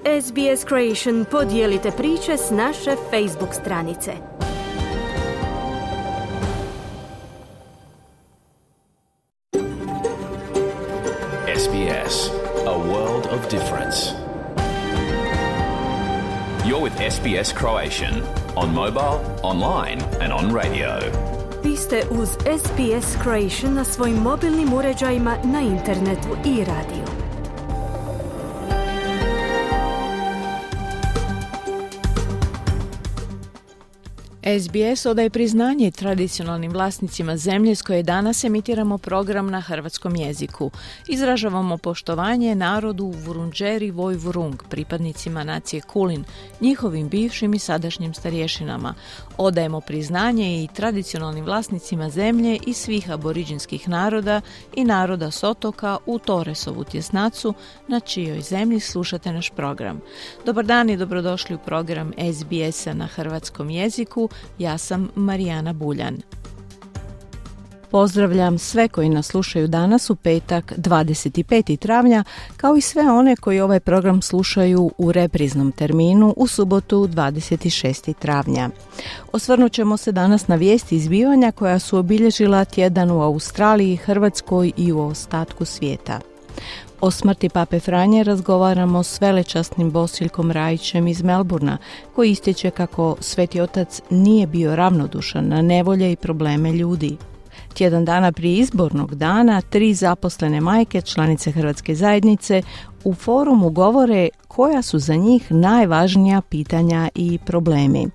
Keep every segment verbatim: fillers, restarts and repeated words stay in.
S B S Creation podijelite priče s naše Facebook stranice. S B S, a world of difference. You're with S B S Croatian on mobile, online and on radio. Vi ste uz S B S Croatian na svojim mobilnim uređajima, na internetu i radiju. S B S odaje priznanje tradicionalnim vlasnicima zemlje s koje danas emitiramo program na hrvatskom jeziku. Izražavamo poštovanje narodu Vurundjeri Vojvurung, pripadnicima nacije Kulin, njihovim bivšim i sadašnjim starješinama. Odajemo priznanje i tradicionalnim vlasnicima zemlje i svih aboriđinskih naroda i naroda s otoka u Torresovu tjesnacu, na čijoj zemlji slušate naš program. Dobar dan i dobrodošli u program S B S-a na hrvatskom jeziku. Ja sam Marijana Buljan. Pozdravljam sve koji nas slušaju danas u petak dvadeset petog travnja, kao i sve one koji ovaj program slušaju u repriznom terminu u subotu dvadeset šestog travnja. Osvrnut ćemo se danas na vijesti i zbivanja koja su obilježila tjedan u Australiji, Hrvatskoj i u ostatku svijeta. O smrti Pape Franje razgovaramo s velečasnim Bosiljkom Rajićem iz Melburna, koji ističe kako Sveti Otac nije bio ravnodušan na nevolje i probleme ljudi. Tjedan dana prije izbornog dana, tri zaposlene majke, članice Hrvatske zajednice, u forumu govore koja su za njih najvažnija pitanja i problemi.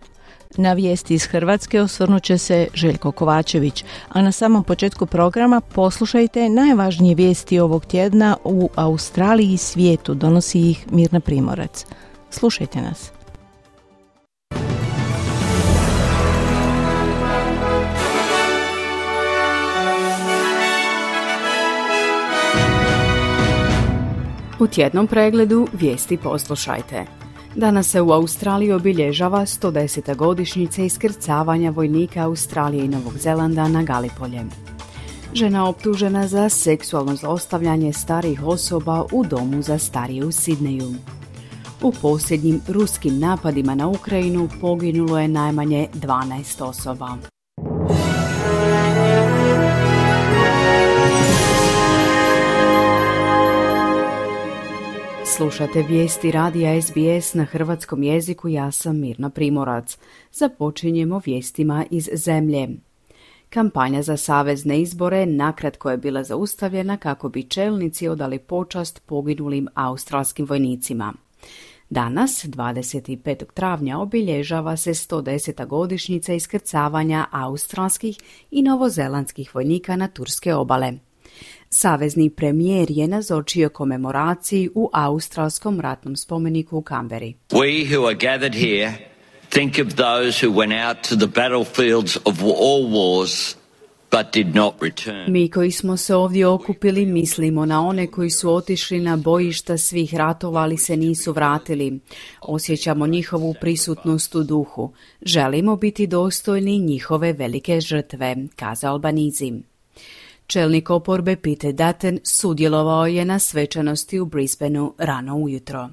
Na vijesti iz Hrvatske osvrnut će se Željko Kovačević, a na samom početku programa poslušajte najvažnije vijesti ovog tjedna u Australiji i svijetu, donosi ih Mirna Primorac. Slušajte nas. U tjednom pregledu vijesti poslušajte. Danas se u Australiji obilježava sto deseta godišnjica iskrcavanja vojnika Australije i Novog Zelanda na Galipolje. Žena optužena za seksualno zlostavljanje starijih osoba u domu za starije u Sidneju. U posljednjim ruskim napadima na Ukrajinu poginulo je najmanje dvanaest osoba. Slušate vijesti radija S B S na hrvatskom jeziku, ja sam Mirna Primorac. Započinjemo vijestima iz zemlje. Kampanja za savezne izbore nakratko je bila zaustavljena kako bi čelnici odali počast poginulim australskim vojnicima. Danas, dvadeset petog travnja, obilježava se sto deseta godišnjica iskrcavanja australskih i novozelandskih vojnika na turske obale. Savezni premijer je nazočio komemoraciji u australskom ratnom spomeniku u Canberri. We who are gathered here think of those who went out to the battlefields of all wars but did not return. Mi koji smo se ovdje okupili mislimo na one koji su otišli na bojišta svih ratova, ali se nisu vratili. Osjećamo njihovu prisutnost u duhu. Želimo biti dostojni njihove velike žrtve, kazao Albanizi. Čelnik oporbe Peter Dutton sudjelovao je na svečanosti u Brisbaneu rano ujutro.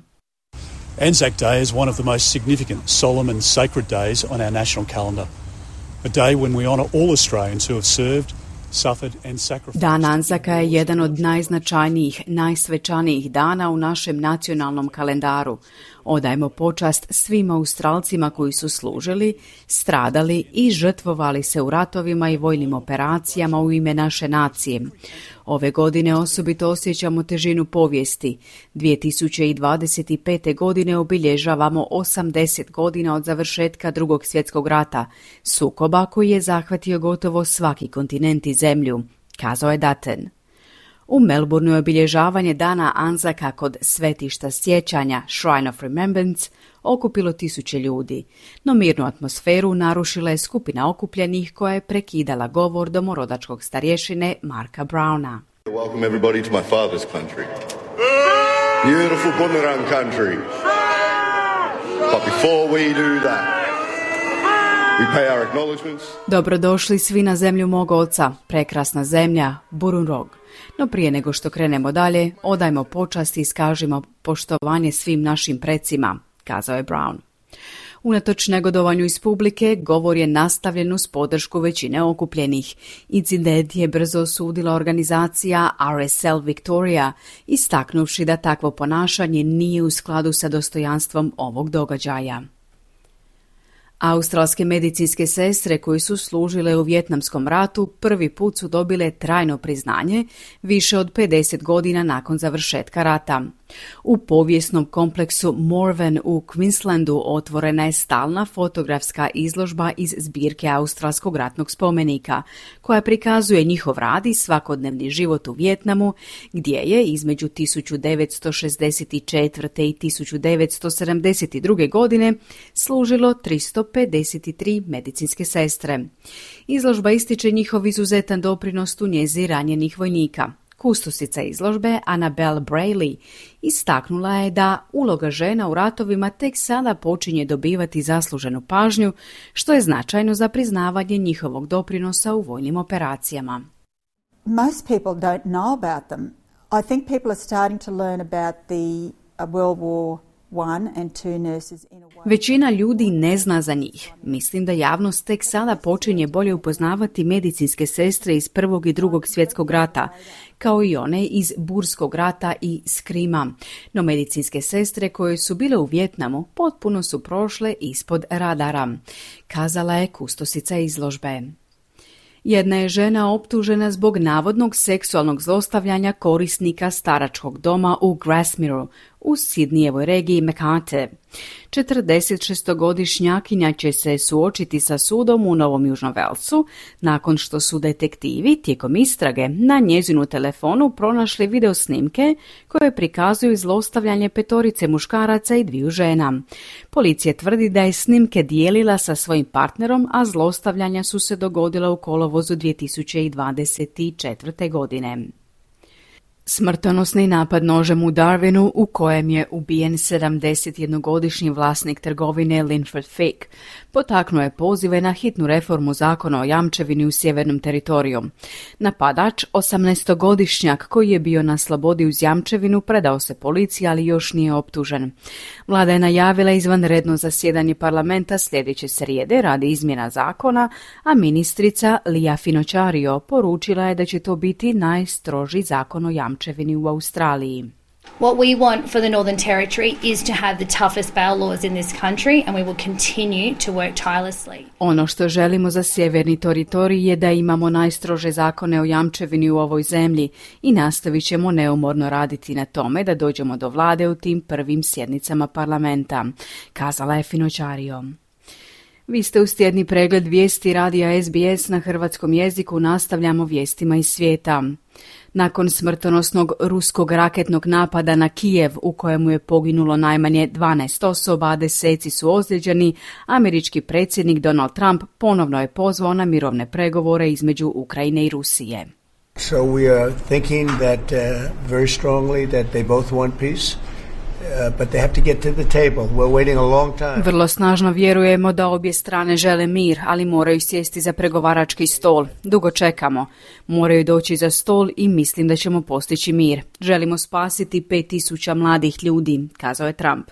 Anzac Day is one of the most significant, solemn and sacred days on our national calendar. A day when we honour all Australians who have served, suffered and sacrificed. Dan Anzaka je jedan od najznačajnijih, najsvečanijih dana u našem nacionalnom kalendaru. Odajemo počast svim Australcima koji su služili, stradali i žrtvovali se u ratovima i vojnim operacijama u ime naše nacije. Ove godine osobito osjećamo težinu povijesti. dvije tisuće dvadeset pete. godine obilježavamo osamdeset godina od završetka Drugog svjetskog rata, sukoba koji je zahvatio gotovo svaki kontinent i zemlju, kazao je Dutton. U Melbourneu je obilježavanje dana Anzaka kod svetišta sjećanja Shrine of Remembrance okupilo tisuće ljudi, no mirnu atmosferu narušila je skupina okupljenih koja je prekidala govor domorodačkog starješine Marka Browna. Welcome everybody to my father's country. Beautiful Bunurong country. But before we do that, we pay our acknowledgements. Dobrodošli svi na zemlju mog oca, prekrasna zemlja, Burunrog. No prije nego što krenemo dalje, odajmo počast i iskažimo poštovanje svim našim precima, kazao je Brown. Unatoč negodovanju iz publike, govor je nastavljen uz podršku većine okupljenih. Incident je brzo osudila organizacija R S L Victoria, istaknuvši da takvo ponašanje nije u skladu sa dostojanstvom ovog događaja. Australske medicinske sestre koje su služile u Vijetnamskom ratu prvi put su dobile trajno priznanje više od pedeset godina nakon završetka rata. U povijesnom kompleksu Morven u Queenslandu otvorena je stalna fotografska izložba iz zbirke australskog ratnog spomenika, koja prikazuje njihov rad i svakodnevni život u Vijetnamu, gdje je između tisuću devetsto šezdeset četvrte. i tisuću devetsto sedamdeset druge. godine služilo tristo pedeset tri medicinske sestre. Izložba ističe njihov izuzetan doprinos u njezi ranjenih vojnika. Kustosica izložbe Annabelle Brayley istaknula je da uloga žena u ratovima tek sada počinje dobivati zasluženu pažnju, što je značajno za priznavanje njihovog doprinosa u vojnim operacijama. Most people don't know about them. I think people are starting to learn about the uh, World War One and two nurses in a way. Većina ljudi ne zna za njih. Mislim da javnost tek sada počinje bolje upoznavati medicinske sestre iz Prvog i Drugog svjetskog rata, kao i one iz Burskog rata i Skrima. No medicinske sestre koje su bile u Vijetnamu potpuno su prošle ispod radara, kazala je kustosica izložbe. Jedna je žena optužena zbog navodnog seksualnog zlostavljanja korisnika staračkog doma u Grasmireu u Sidnijevoj regiji Mekate. četrdesetšestogodišnjakinja će se suočiti sa sudom u Novom Južnom Velsu nakon što su detektivi tijekom istrage na njezinu telefonu pronašli video snimke koje prikazuju zlostavljanje petorice muškaraca i dviju žena. Policija tvrdi da je snimke dijelila sa svojim partnerom, a zlostavljanja su se dogodila u kolovozu dvije tisuće dvadeset četvrte. godine. Smrtonosni napad nožem u Darwinu u kojem je ubijen sedamdesetjednogodišnji vlasnik trgovine Linford Fake potaknuo je pozive na hitnu reformu zakona o jamčevini u sjevernom teritoriju. Napadač, osamnaestogodišnjak koji je bio na slobodi uz jamčevinu, predao se policiji, ali još nije optužen. Vlada je najavila izvanredno zasjedanje parlamenta sljedeće srijede radi izmjena zakona, a ministrica Lia Finocchiario poručila je da će to biti najstroži zakon o jamčevini u Australiji. What we want for the Northern Territory is to have the toughest bail laws in this country, and we will continue to work tirelessly. Ono što želimo za sjeverni teritorij je da imamo najstrože zakone o jamčevini u ovoj zemlji i nastavit ćemo neumorno raditi na tome da dođemo do vlade u tim prvim sjednicama parlamenta, kazala je Finocchiario. Vi ste uz tjedni pregled vijesti radija S B S na hrvatskom jeziku. Nastavljamo vijestima iz svijeta. Nakon smrtonosnog ruskog raketnog napada na Kijev, u kojemu je poginulo najmanje dvanaest osoba, a deseci su ozlijeđeni, američki predsjednik Donald Trump ponovno je pozvao na mirovne pregovore između Ukrajine i Rusije. So we are thinking that uh, very strongly that they both want peace. Uh, but they have to get to the table. We're waiting a long time. Vrlo snažno vjerujemo da obje strane žele mir, ali moraju sjesti za pregovarački stol. Dugo čekamo. Moraju doći za stol i mislim da ćemo postići mir. Želimo spasiti pet tisuća mladih ljudi, kazao je Trump.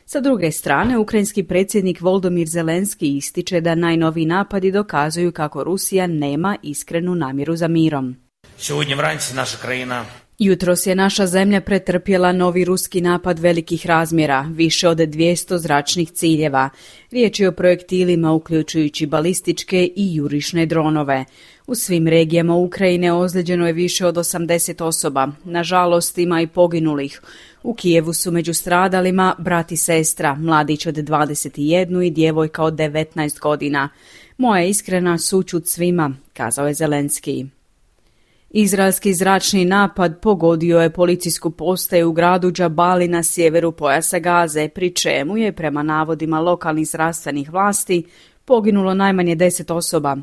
Sa druge strane, ukrajinski predsjednik Volodymyr Zelenski ističe da najnoviji napadi dokazuju kako Rusija nema iskrenu namjeru za mirom. Сьогодні вранці наша країна Jutros je naša zemlja pretrpjela novi ruski napad velikih razmjera, više od dvjesto zračnih ciljeva. Riječ je o projektilima uključujući balističke i jurišne dronove. U svim regijama Ukrajine ozlijeđeno je više od osamdeset osoba. Nažalost, ima i poginulih. U Kijevu su među stradalima brat i sestra, mladić od dvadeset jedan i djevojka od devetnaest godina. Moja iskrena sućut svima, kazao je Zelenski. Izraelski zračni napad pogodio je policijsku postaju u gradu Džabali na sjeveru pojasa Gaze, pri čemu je, prema navodima lokalnih zdravstvenih vlasti, poginulo najmanje deset osoba.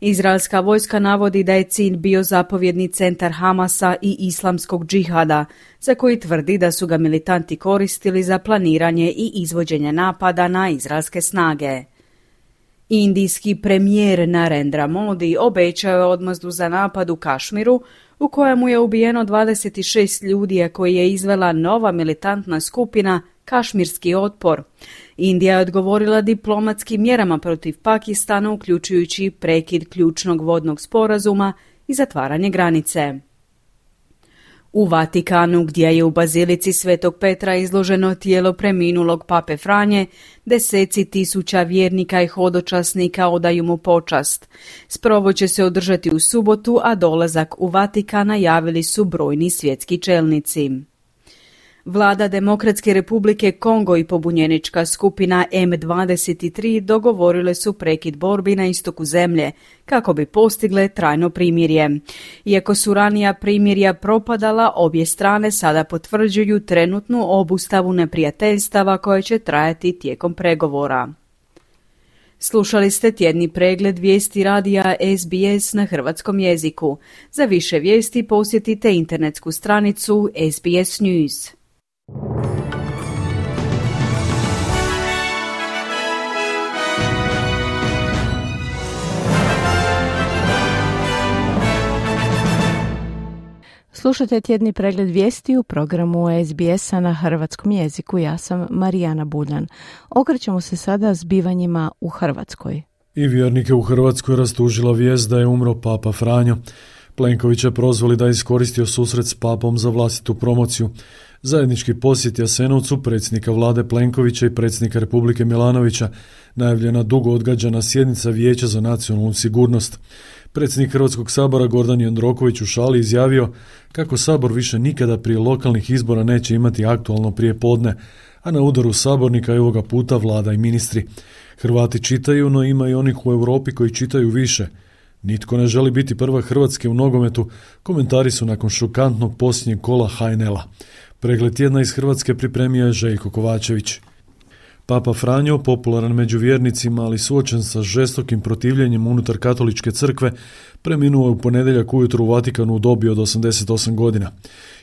Izraelska vojska navodi da je cilj bio zapovjedni centar Hamasa i islamskog džihada, za koji tvrdi da su ga militanti koristili za planiranje i izvođenje napada na izraelske snage. Indijski premijer Narendra Modi obećao je odmazdu za napad u Kašmiru, u kojemu je ubijeno dvadeset šest ljudi, a koji je izvela nova militantna skupina Kašmirski otpor. Indija je odgovorila diplomatskim mjerama protiv Pakistana, uključujući prekid ključnog vodnog sporazuma i zatvaranje granice. U Vatikanu, gdje je u bazilici Svetog Petra izloženo tijelo preminulog pape Franje, deseci tisuća vjernika i hodočasnika odaju mu počast. Sprovod će se održati u subotu, a dolazak u Vatikan najavili su brojni svjetski čelnici. Vlada Demokratske republike Kongo i pobunjenička skupina M dvadeset tri dogovorile su prekid borbi na istoku zemlje kako bi postigle trajno primirje. Iako su ranija primirja propadala, obje strane sada potvrđuju trenutnu obustavu neprijateljstava koje će trajati tijekom pregovora. Slušali ste tjedni pregled vijesti radija S B S na hrvatskom jeziku. Za više vijesti posjetite internetsku stranicu S B S News. Slušajte tjedni pregled vijesti u programu S B S-a na hrvatskom jeziku. Ja sam Marijana Buljan. Okrećemo se sada zbivanjima u Hrvatskoj. I vjernike u Hrvatskoj rastužila vijest da je umro papa Franjo. Plenković je prozvali da je iskoristio susret s papom za vlastitu promociju. Zajednički posjet Jasenovcu predsjednika vlade Plenkovića i predsjednika Republike Milanovića, najavljena dugo odgađana sjednica Vijeća za nacionalnu sigurnost. Predsjednik Hrvatskog sabora Gordan Jandroković u šali izjavio kako sabor više nikada prije lokalnih izbora neće imati aktualno prijepodne, a na udaru sabornika je ovoga puta vlada i ministri. Hrvati čitaju, no ima i onih u Europi koji čitaju više. Nitko ne želi biti prva Hrvatske u nogometu, komentari su nakon šokantnog posljednjeg kola H N L-a. Pregled tjedna iz Hrvatske pripremio je Željko Kovačević. Papa Franjo, popularan među vjernicima, ali suočen sa žestokim protivljenjem unutar katoličke crkve, preminuo je u ponedjeljak ujutro u Vatikanu u dobi od osamdeset osam godina.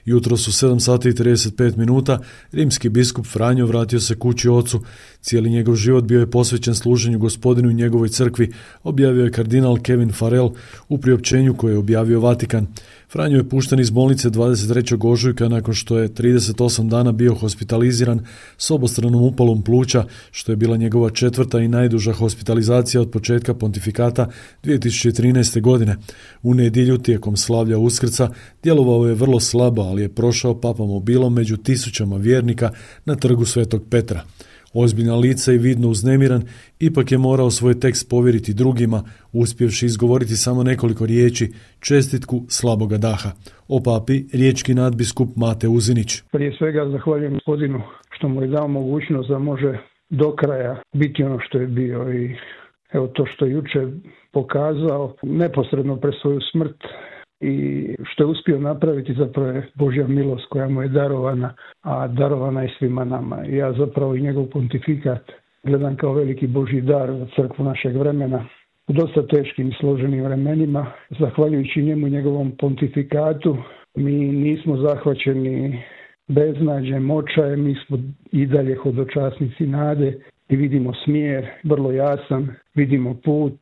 Jutros u sedam sati i trideset pet minuta rimski biskup Franjo vratio se kući ocu. Cijeli njegov život bio je posvećen služenju Gospodinu i njegovoj crkvi, objavio je kardinal Kevin Farrell u priopćenju koje je objavio Vatikan. Franjo je pušten iz bolnice dvadeset trećeg ožujka nakon što je trideset osam dana bio hospitaliziran s obostranom upalom pluća, što je bila njegova četvrta i najduža hospitalizacija od početka pontifikata dvije tisuće trinaeste. godine. U nedjelju tijekom slavlja Uskrsa djelovao je vrlo slabo, ali je prošao papamobilom među tisućama vjernika na trgu Svetog Petra. Ozbiljna lica i vidno uznemiran, ipak je morao svoj tekst povjeriti drugima, uspjevši izgovoriti samo nekoliko riječi, čestitku slaboga daha. O papi riječki nadbiskup Mate Uzinić. Prije svega zahvaljujem Gospodinu što mu je dao mogućnost da može do kraja biti ono što je bio i evo to što je juče pokazao neposredno pred svoju smrt i što je uspio napraviti zapravo je Božja milost koja mu je darovana, a darovana je svima nama. Ja zapravo i njegov pontifikat gledam kao veliki Božji dar za crkvu našeg vremena u dosta teškim i složenim vremenima. Zahvaljujući njemu i njegovom pontifikatu mi nismo zahvaćeni beznađem, očajem, mi smo i dalje hodočasnici nade i vidimo smjer, vrlo jasan, vidimo put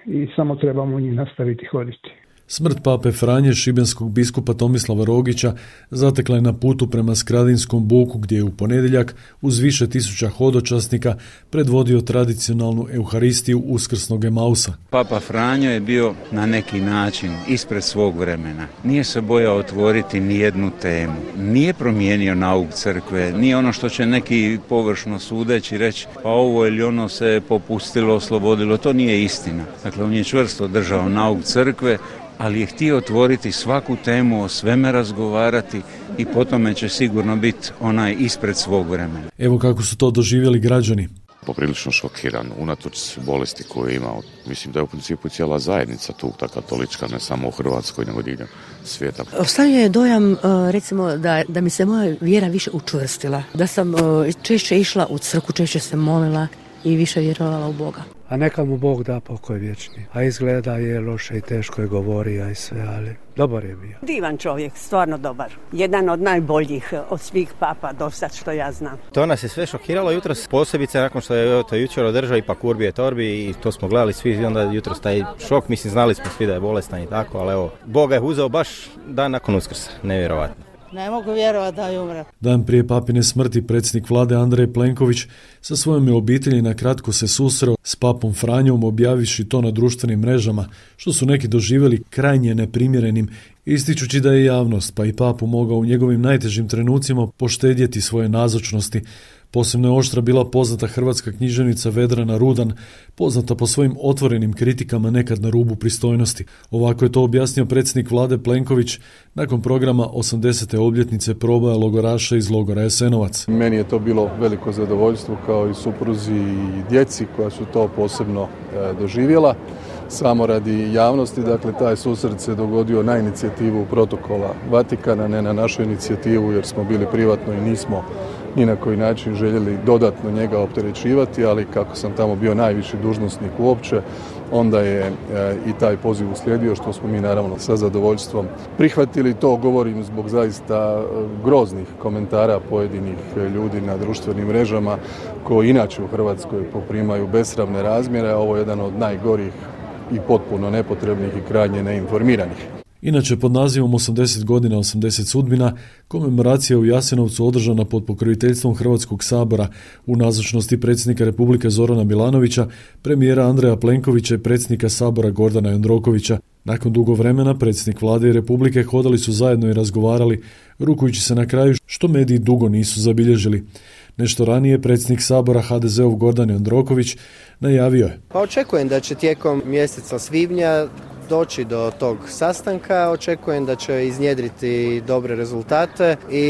i samo trebamo njih nastaviti hoditi. Smrt pape Franje, šibenskog biskupa Tomislava Rogića, zatekla je na putu prema Skradinskom buku gdje je u ponedjeljak uz više tisuća hodočasnika predvodio tradicionalnu euharistiju uskrsnog Emausa. Papa Franjo je bio na neki način ispred svog vremena. Nije se bojao otvoriti ni jednu temu. Nije promijenio nauk crkve, nije ono što će neki površno sudeći reći pa ovo ili ono se popustilo, oslobodilo. To nije istina. Dakle, on je čvrsto držao nauk crkve, ali je htio otvoriti svaku temu, o sveme razgovarati i po tome će sigurno biti onaj ispred svog vremena. Evo kako su to doživjeli građani. Poprilično šokiran, unatoč bolesti koju je imao. Mislim da je u principu cijela zajednica tu, ta katolička, ne samo u Hrvatskoj, nego diljem svijeta. Ostavio je dojam, recimo, da, da mi se moja vjera više učvrstila. Da sam češće išla u crkvu, češće se molila i više vjerovala u Boga. a neka mu Bog da pokoj vječni. A izgleda je loše i teško je govorio i sve, ali dobar je bio. Divan čovjek, stvarno dobar. Jedan od najboljih od svih papa do sad što ja znam. To nas je sve šokiralo jutros, posebice nakon što je to jučer održao ipak Urbi et Orbi i to smo gledali svi i onda jutros taj šok, mislim znali smo svi da je bolestan i tako, ali evo, Bog ga je uzeo baš dan nakon Uskrsa, nevjerovatno. Ne mogu vjerovati da je umre. Dan prije papine smrti predsjednik vlade Andrej Plenković sa svojom obitelji na kratko se susreo s papom Franjom, objavivši to na društvenim mrežama, što su neki doživjeli krajnje neprimjerenim, ističući da je javnost pa i papu mogao u njegovim najtežim trenucima poštedjeti svoje nazočnosti. Posebno je oštra bila poznata hrvatska književnica Vedrana Rudan, poznata po svojim otvorenim kritikama nekad na rubu pristojnosti. Ovako je to objasnio predsjednik vlade Plenković nakon programa osamdesete obljetnice proboja logoraša iz logora Jasenovac. Meni je to bilo veliko zadovoljstvo kao i supruzi i djeci koja su to posebno e, doživjela. Samo radi javnosti, dakle, taj susret se dogodio na inicijativu protokola Vatikana, ne na našu inicijativu jer smo bili privatno i nismo ni na koji način željeli dodatno njega opterećivati, ali kako sam tamo bio najviši dužnosnik uopće, onda je e, i taj poziv uslijedio, što smo mi naravno sa zadovoljstvom prihvatili. To govorim zbog zaista groznih komentara pojedinih ljudi na društvenim mrežama koji inače u Hrvatskoj poprimaju besramne razmjere, a ovo je jedan od najgorih i potpuno nepotrebnih i krajnje neinformiranih. Inače, pod nazivom osamdeset godina, osamdeset sudbina, komemoracija u Jasenovcu održana pod pokroviteljstvom Hrvatskog sabora u nazočnosti predsjednika Republike Zorana Milanovića, premijera Andreja Plenkovića i predsjednika sabora Gordana Jandrokovića. Nakon dugo vremena predsjednik vlade i Republike hodali su zajedno i razgovarali, rukujući se na kraju što mediji dugo nisu zabilježili. Nešto ranije predsjednik sabora ha de zeov Gordan Jandroković najavio je. Pa očekujem da će tijekom mjeseca svibnja doći do tog sastanka, očekujem da će iznjedriti dobre rezultate i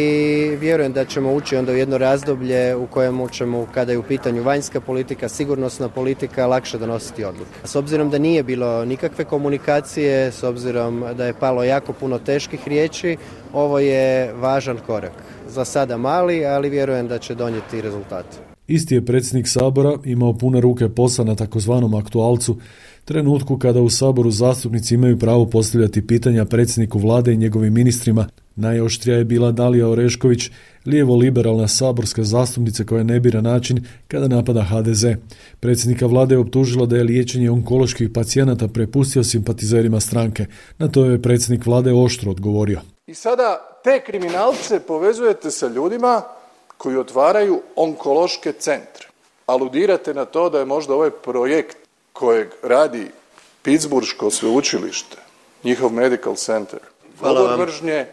vjerujem da ćemo ući onda u jedno razdoblje u kojemu ćemo, kada je u pitanju vanjska politika, sigurnosna politika, lakše donositi odluke. S obzirom da nije bilo nikakve komunikacije, s obzirom da je palo jako puno teških riječi, ovo je važan korak. Za sada mali, ali vjerujem da će donijeti rezultate. Isti je predsjednik sabora imao pune ruke posla na takozvanom aktualcu, trenutku kada u saboru zastupnici imaju pravo postavljati pitanja predsjedniku vlade i njegovim ministrima. Najoštrija je bila Dalija Orešković, lijevo-liberalna saborska zastupnica koja ne bira način kada napada ha de ze. Predsjednika vlade je optužila da je liječenje onkoloških pacijenata prepustio simpatizerima stranke. Na to je predsjednik vlade oštro odgovorio. I sada te kriminalce povezujete sa ljudima koji otvaraju onkološke centre. Aludirate na to da je možda ovaj projekt kojeg radi Pittsburghško sveučilište, njihov medical center, govor mržnje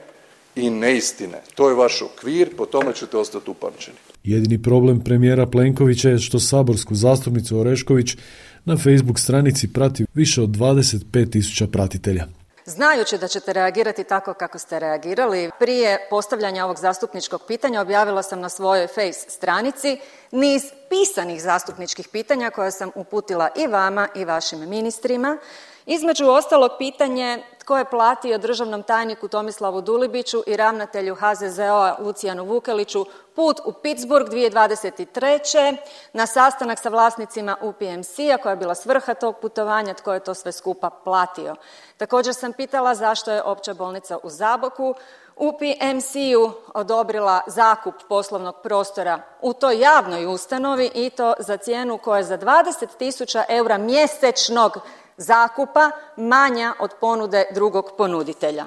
i neistine. To je vaš okvir, po tome ćete ostati upamćeni. Jedini problem premijera Plenkovića je što saborsku zastupnicu Orešković na Facebook stranici prati više od dvadeset pet tisuća pratitelja. Znajući da ćete reagirati tako kako ste reagirali, prije postavljanja ovog zastupničkog pitanja objavila sam na svojoj Face stranici niz pisanih zastupničkih pitanja koje sam uputila i vama i vašim ministrima. Između ostalog pitanje tko je platio državnom tajniku Tomislavu Dulibiću i ravnatelju ha ze ze o-a Lucijanu Vukeliću put u Pittsburgh dvije tisuće dvadeset treće na sastanak sa vlasnicima u pe em ce-a, koja je bila svrha tog putovanja, tko je to sve skupa platio. Također sam pitala zašto je Opća bolnica u Zaboku u pe em ce-u odobrila zakup poslovnog prostora u toj javnoj ustanovi i to za cijenu koja je za dvadeset tisuća eura mjesečnog zakupa manja od ponude drugog ponuditelja.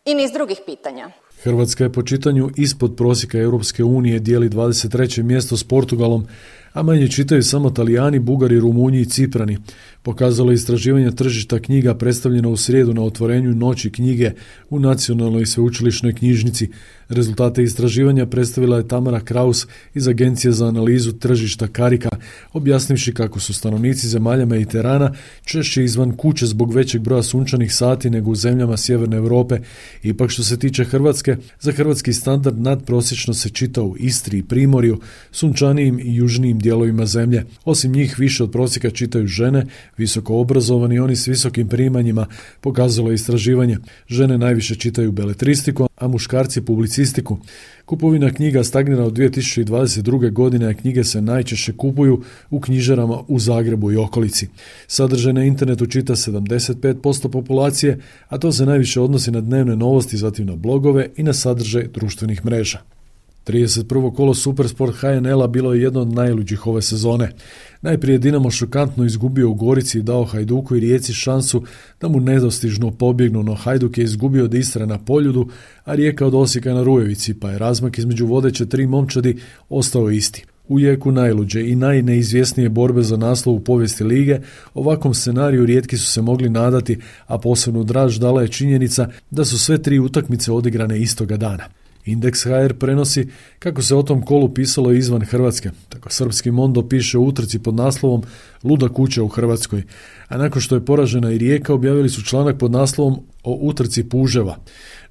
I niz drugih pitanja. Hrvatska je po čitanju ispod prosjeka Europske unije, dijeli dvadeset treće mjesto s Portugalom, a manje čitaju samo Talijani, Bugari, Rumunji i Ciprani. Pokazalo je istraživanje tržišta knjiga predstavljeno u srijedu na otvorenju Noći knjige u Nacionalnoj sveučilišnoj knjižnici. Rezultate istraživanja predstavila je Tamara Kraus iz Agencije za analizu tržišta Karika, objasnivši kako su stanovnici zemalja Mediterana češće izvan kuće zbog većeg broja sunčanih sati nego u zemljama Sjeverne Europe. Ipak što se tiče Hrvatske, za hrvatski standard nadprosječno se čita u Istri i Primorju, sunčanijim i južnijim dijelovima dijelovima zemlje. Osim njih više od prosjeka čitaju žene, visoko obrazovani i oni s visokim primanjima, pokazalo je istraživanje. Žene najviše čitaju beletristiku, a muškarci publicistiku. Kupovina knjiga stagnira od dvije tisuće dvadeset druge. godine, a knjige se najčešće kupuju u knjižarama u Zagrebu i okolici. Sadržaj na internetu čita sedamdeset pet posto populacije, a to se najviše odnosi na dnevne novosti, zatim na blogove i na sadržaj društvenih mreža. trideset prvo kolo Supersport H N L-a bilo je jedno od najluđih ove sezone. Najprije je Dinamo šokantno izgubio u Gorici i dao Hajduku i Rijeci šansu da mu nedostižno pobjegnu, no Hajduk je izgubio od Istre na Poljudu, a Rijeka od Osijeka na Rujevici, pa je razmak između vodeće tri momčadi ostao isti. U jeku najluđe i najneizvjesnije borbe za naslov u povijesti lige, ovakvom scenariju rijetki su se mogli nadati, a posebno draž dala je činjenica da su sve tri utakmice odigrane istoga dana. Indeks H R prenosi kako se o tom kolu pisalo izvan Hrvatske. Tako srpski Mondo piše o utrci pod naslovom Luda kuća u Hrvatskoj, a nakon što je poražena i Rijeka objavili su članak pod naslovom o utrci puževa.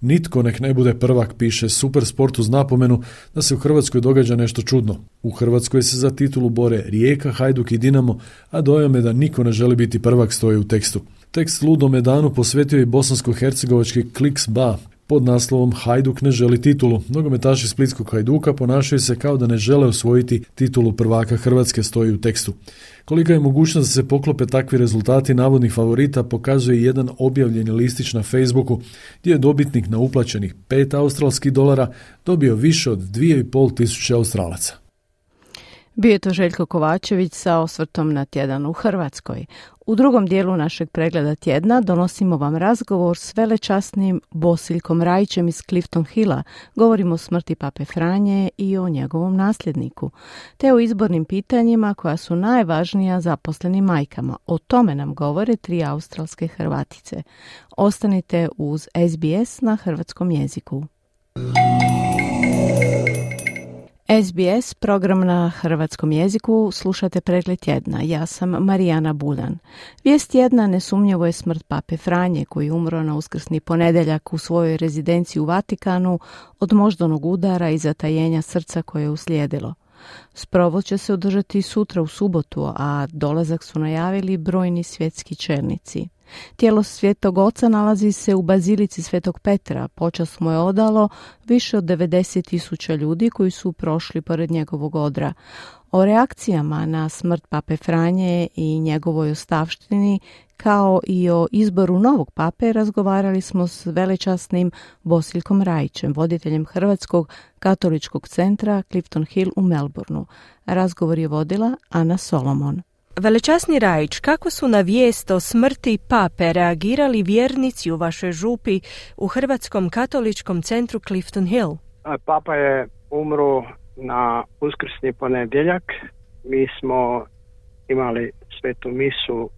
Nitko nek ne bude prvak, piše Supersport uz napomenu da se u Hrvatskoj događa nešto čudno. U Hrvatskoj se za titulu bore Rijeka, Hajduk i Dinamo, a dojam je da niko ne želi biti prvak, stoji u tekstu. Tekst ludome danu posvetio je bosansko-hercegovački Kliks Ba pod naslovom Hajduk ne želi titulu. Nogometaši splitskog Hajduka ponašaju se kao da ne žele osvojiti titulu prvaka Hrvatske, stoji u tekstu. Kolika je mogućnost da se poklope takvi rezultati navodnih favorita pokazuje jedan objavljeni listić na Facebooku gdje je dobitnik na uplaćenih pet australskih dolara dobio više od dvije i pol tisuće Australaca. Bio je to Željko Kovačević sa osvrtom na tjedan u Hrvatskoj. U drugom dijelu našeg pregleda tjedna donosimo vam razgovor s velečasnim Bosiljkom Rajićem iz Clifton Hilla. Govorimo o smrti Pape Franje i o njegovom nasljedniku, te o izbornim pitanjima koja su najvažnija zaposlenim majkama. O tome nam govore tri australske Hrvatice. Ostanite uz S B S na hrvatskom jeziku. S B S, program na hrvatskom jeziku, slušate pregled tjedna. Ja sam Marijana Buljan. Vijest tjedna nesumnjivo je smrt Pape Franje, koji je umro na uskrsni ponedjeljak u svojoj rezidenciji u Vatikanu od moždanog udara i zatajenja srca koje je uslijedilo. Sprovod će se održati sutra u subotu, a dolazak su najavili brojni svjetski čelnici. Tijelo Svetog Oca nalazi se u Bazilici Svetog Petra. Počast mu je odalo više od devedeset tisuća ljudi koji su prošli pored njegovog odra. O reakcijama na smrt Pape Franje i njegovoj ostavštini, kao i o izboru novog pape, razgovarali smo s velečasnim Bosiljkom Rajićem, voditeljem Hrvatskog katoličkog centra Clifton Hill u Melbourneu. Razgovor je vodila Ana Solomon. Velečasni Rajić, kako su na vijest o smrti pape reagirali vjernici u vašoj župi u Hrvatskom katoličkom centru Clifton Hill? Papa je umro na uskrsni ponedjeljak. Mi smo imali svetu misu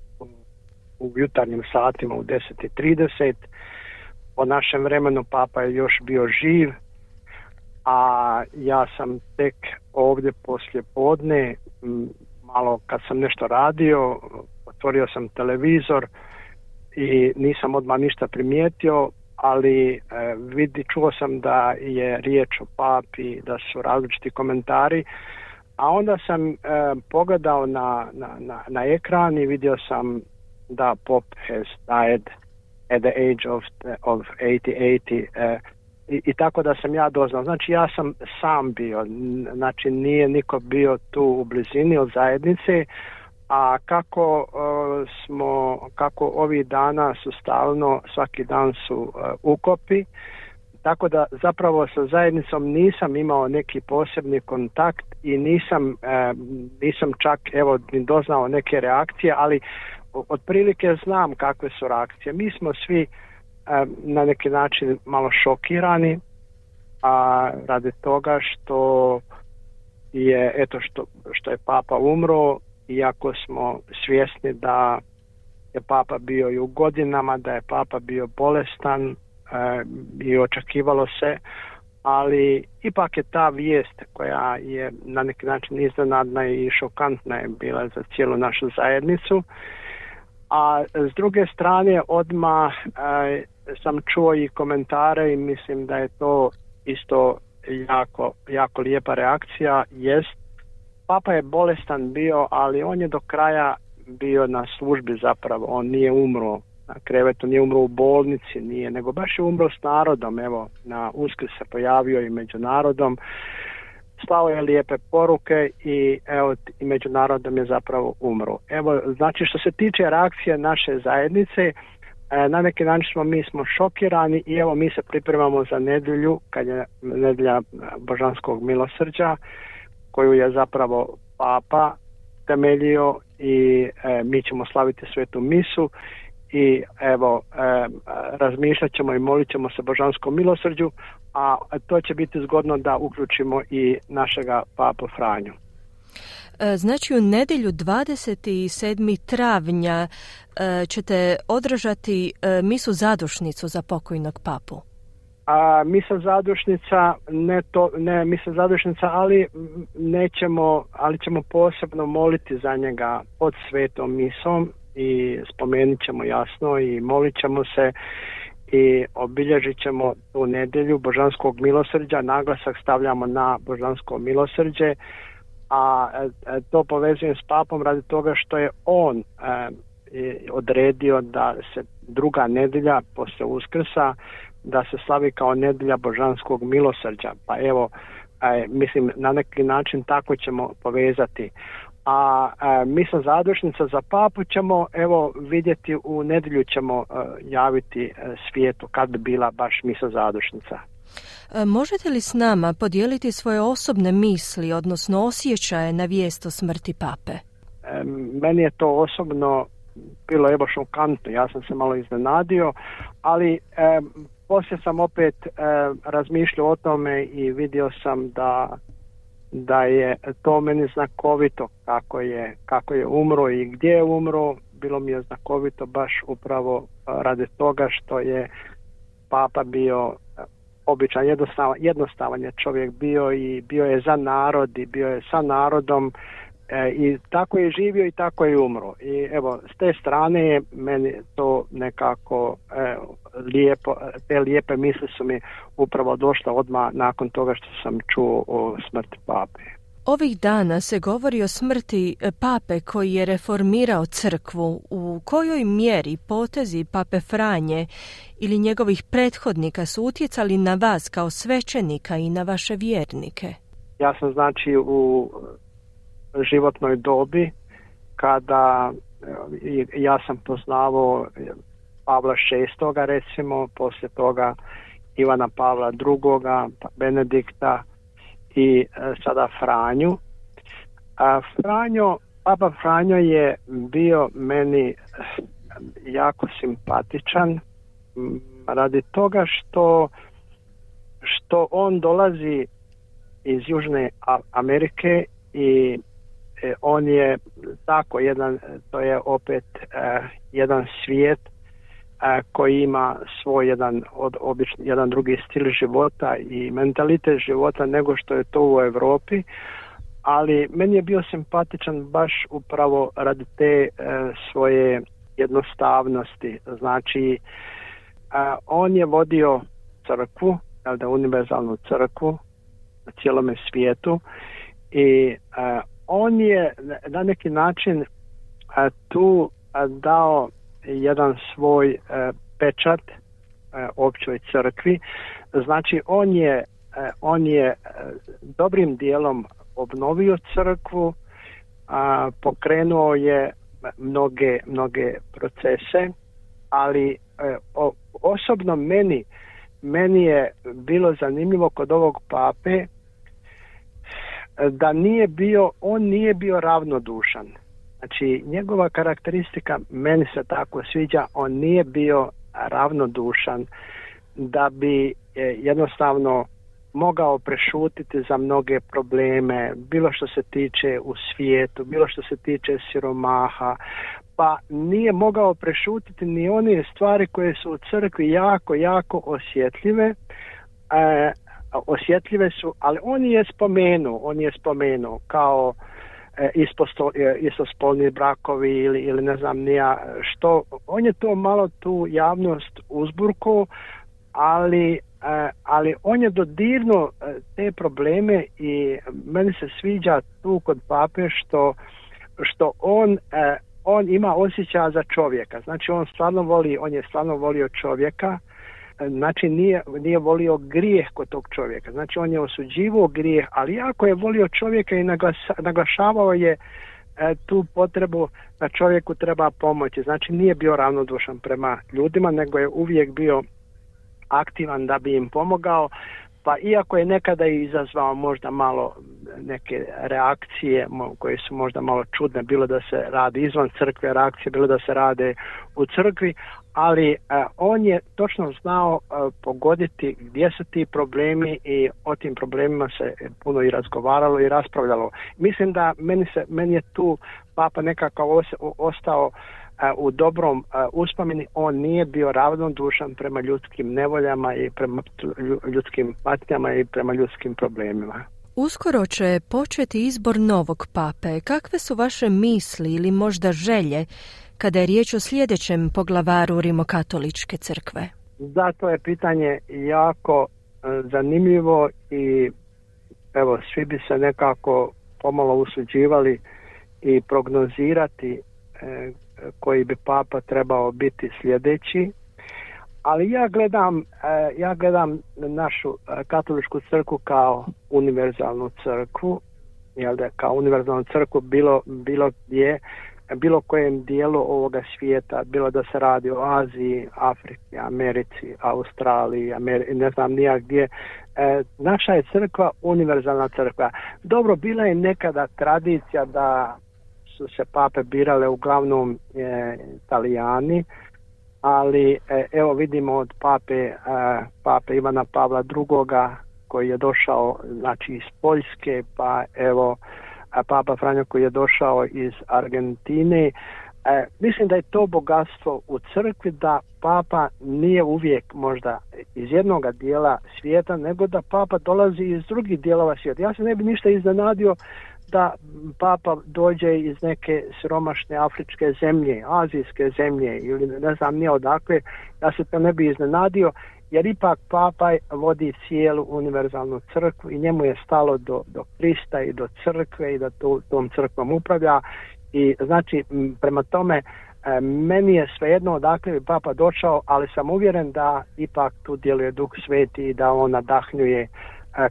u jutarnjim satima u deset i trideset. Po našem vremenu papa je još bio živ, a ja sam tek ovdje poslije podne, malo kad sam nešto radio, otvorio sam televizor i nisam odmah ništa primijetio, ali e, vidi, čuo sam da je riječ o papi, da su različiti komentari, a onda sam e, pogledao na, na, na, na ekran i vidio sam da Pop has died at the age of, of osamdeset. E, I, I tako da sam ja doznao. Znači ja sam sam bio, znači nije niko bio tu u blizini od zajednice, a kako uh, smo, kako ovih dana su stalno, svaki dan su uh, ukopi, tako da zapravo sa zajednicom nisam imao neki posebni kontakt i nisam, uh, nisam čak evo ni doznao neke reakcije, ali otprilike znam kakve su reakcije. Mi smo svi na neki način malo šokirani, a radi toga što je eto što, što je papa umro, iako smo svjesni da je papa bio i u godinama, da je papa bio bolestan e, i očekivalo se, ali ipak je ta vijest koja je na neki način iznenadna i šokantna je bila za cijelu našu zajednicu. A s druge strane odmah e, sam čuo i komentare i mislim da je to isto jako, jako lijepa reakcija. Jest, papa je bolestan bio, ali on je do kraja bio na službi zapravo, on nije umro na krevetu, nije umro u bolnici, nije, nego baš je umro s narodom, evo, na Uskrs se pojavio i među narodom, slao je lijepe poruke i evo, i među narodom je zapravo umro. Evo, znači što se tiče reakcije naše zajednice, na neki način smo, mi smo šokirani i evo mi se pripremamo za nedjelju, kad je nedjelja Božanskog milosrđa, koju je zapravo papa temeljio i e, mi ćemo slaviti svetu misu i evo e, razmišljat ćemo i molit ćemo se Božanskom milosrđu, a to će biti zgodno da uključimo i našega papu Franju. Znači u nedjelju dvadeset sedmog travnja ćete održati misu zadušnicu za pokojnog papu. A misa zadušnica, ne to, ne misa zadušnica, ali nećemo, ali ćemo posebno moliti za njega pod svetom misom i spomenut ćemo jasno i molit ćemo se i obilježit ćemo tu nedjelju Božanskog milosrđa, naglasak stavljamo na Božansko milosrđe, a to povezujem s papom radi toga što je on e, odredio da se druga nedjelja poslije Uskrsa da se slavi kao nedjelja Božanskog milosrđa. Pa evo, e, mislim na neki način tako ćemo povezati. A e, misa zadušnica za papu ćemo evo vidjeti u nedjelju ćemo e, javiti e, svijetu kad bi bila baš misa zadušnica. Možete li s nama podijeliti svoje osobne misli, odnosno osjećaje na vijest o smrti pape? E, meni je to osobno bilo evo šokantno, ja sam se malo iznenadio, ali e, poslije sam opet e, razmišljao o tome i vidio sam da, da je to meni znakovito kako je, kako je umro i gdje je umro. Bilo mi je znakovito baš upravo radi toga što je papa bio običan, jednostavan, jednostavan je čovjek bio i bio je za narod i bio je sa narodom e, i tako je živio i tako je umro. I evo, s te strane je meni to nekako e, lijepo, te lijepe misli su mi upravo došle odmah nakon toga što sam čuo o smrti pape. Ovih dana se govori o smrti pape koji je reformirao crkvu. U kojoj mjeri potezi pape Franje ili njegovih prethodnika su utjecali na vas kao svećenika i na vaše vjernike? Ja sam znači u životnoj dobi kada ja sam poznavao Pavla šestoga recimo, poslije toga Ivana Pavla drugoga, Benedikta i sada Franju. A Franjo, papa Franjo je bio meni jako simpatičan radi toga što što on dolazi iz Južne Amerike i on je tako jedan, to je opet uh, jedan svijet uh, koji ima svoj jedan od obični, jedan drugi stil života i mentalitet života nego što je to u Europi, ali meni je bio simpatičan baš upravo radi te uh, svoje jednostavnosti. Znači uh, on je vodio crkvu, da univerzalnu crkvu na cijelome svijetu i uh, on je na neki način a, tu a, dao jedan svoj a, pečat a, općoj crkvi. Znači on je, a, on je a, dobrim dijelom obnovio crkvu, a, pokrenuo je mnoge, mnoge procese, ali a, o, osobno meni, meni je bilo zanimljivo kod ovog pape da nije bio, on nije bio ravnodušan. Znači, njegova karakteristika meni se tako sviđa, on nije bio ravnodušan da bi jednostavno mogao prešutiti za mnoge probleme, bilo što se tiče u svijetu, bilo što se tiče siromaha, pa nije mogao prešutiti ni one stvari koje su u crkvi jako, jako osjetljive, e, osjetljive su, ali on je spomenuo, on je spomenuo kao e, isposto, e, istospolni brakovi ili, ili ne znam nija što, on je to malo tu javnost uzburko, ali ali on je dodirnuo te probleme i meni se sviđa tu kod pape što, što on, on ima osjećaja za čovjeka. Znači on stvarno voli, on je stvarno volio čovjeka, znači nije, nije volio grijeh kod tog čovjeka. Znači on je osuđivao grijeh, ali jako je volio čovjeka i naglasa, naglašavao je tu potrebu da čovjeku treba pomoći. Znači nije bio ravnodušan prema ljudima, nego je uvijek bio aktivan da bi im pomogao, pa iako je nekada i izazvao možda malo neke reakcije koje su možda malo čudne, bilo da se radi izvan crkve reakcije, bilo da se rade u crkvi, ali uh, on je točno znao uh, pogoditi gdje su ti problemi i o tim problemima se puno i razgovaralo i raspravljalo. Mislim da meni, se, meni je tu papa nekako os, ostao uh, u dobrom uh, uspomeni. On nije bio ravnodušan prema ljudskim nevoljama i prema ljudskim patnjama i prema ljudskim problemima. Uskoro će početi izbor novog pape. Kakve su vaše misli ili možda želje kada je riječ o sljedećem poglavaru Rimokatoličke crkve? Zato je pitanje jako zanimljivo i evo svi bi se nekako pomalo usuđivali i prognozirati e, koji bi papa trebao biti sljedeći. Ali ja gledam, ja gledam našu katoličku crkvu kao univerzalnu crkvu, jel da, kao univerzalnu crkvu bilo, bilo gdje, bilo kojem dijelu ovoga svijeta, bilo da se radi o Aziji, Africi, Americi, Australiji, Ameri, ne znam nija gdje. E, naša je crkva univerzalna crkva. Dobro, bila je nekada tradicija da su se pape birale uglavnom e, Italijani, ali evo vidimo od pape, pape Ivana Pavla drugoga koji je došao znači iz Poljske, pa evo papa Franjo koji je došao iz Argentine. E, mislim da je to bogatstvo u crkvi, da papa nije uvijek možda iz jednog dijela svijeta, nego da papa dolazi iz drugih dijelova svijeta. Ja se ne bi ništa iznenadio da papa dođe iz neke siromašne afričke zemlje, azijske zemlje ili ne znam nije odakle, ja se to ne bi iznenadio, jer ipak papa vodi cijelu univerzalnu crkvu i njemu je stalo do, do Krista i do crkve i da to, tom crkvom upravlja i znači prema tome meni je svejedno odakle bi papa došao, ali sam uvjeren da ipak tu djeluje Duh Sveti i da on nadahnjuje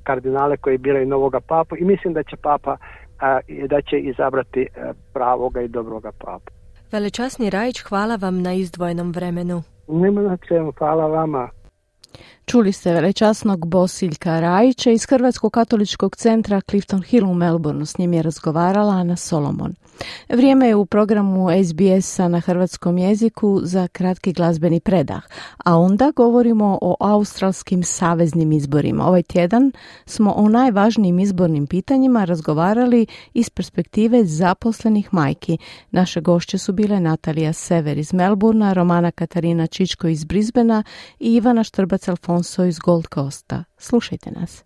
kardinale koji biraju novoga papu i mislim da će papa da će izabrati pravoga i dobroga papu. Velečasni Rajić, hvala vam na izdvojenom vremenu. Nema na čemu, hvala vama. Čuli ste velečasnog Bosiljka Rajića iz Hrvatskog katoličkog centra Clifton Hill u Melbourneu. S njim je razgovarala Ana Solomon. Vrijeme je u programu S B S-a na hrvatskom jeziku za kratki glazbeni predah, a onda govorimo o australskim saveznim izborima. Ovaj tjedan smo o najvažnijim izbornim pitanjima razgovarali iz perspektive zaposlenih majki. Naše gošće su bile Natalija Sever iz Melbournea, Romana Katarina Čičko iz Brisbanea i Ivana Štrbac-Alfonso iz Gold Coasta. Slušajte nas.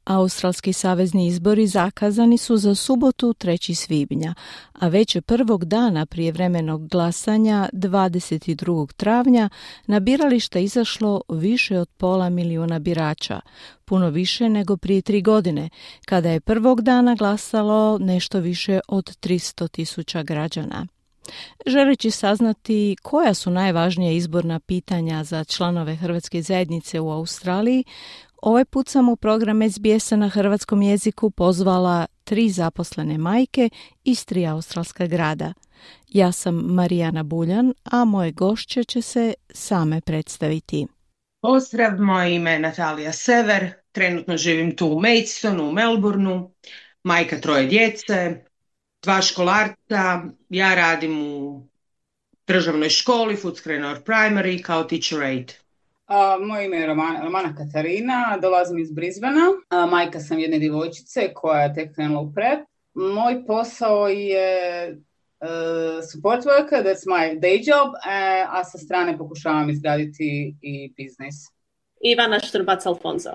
Australski savezni izbori zakazani su za subotu trećeg svibnja, a već je prvog dana prijevremenog glasanja dvadeset drugog travnja na biralište izašlo više od pola milijuna birača, puno više nego prije tri godine, kada je prvog dana glasalo nešto više od tristo tisuća građana. Želeći saznati koja su najvažnija izborna pitanja za članove Hrvatske zajednice u Australiji, ovaj put sam u program S B S-a na hrvatskom jeziku pozvala tri zaposlene majke iz tri australska grada. Ja sam Marijana Buljan, a moje gošće će se same predstaviti. Pozdrav, moje ime je Natalija Sever, trenutno živim tu u Maidstonu, u Melbourneu, majka troje djece, dva školarca, ja radim u državnoj školi, Footscray North Primary, kao teacher aide. Uh, moje ime je Romana, Romana Katarina, dolazim iz Brisbanea, uh, majka sam jedne djevojčice koja je tek krenula u prep. Moj posao je uh, support worker, that's my day job, uh, a sa strane pokušavam izgraditi i biznis. Ivana Štrbac-Alfonso.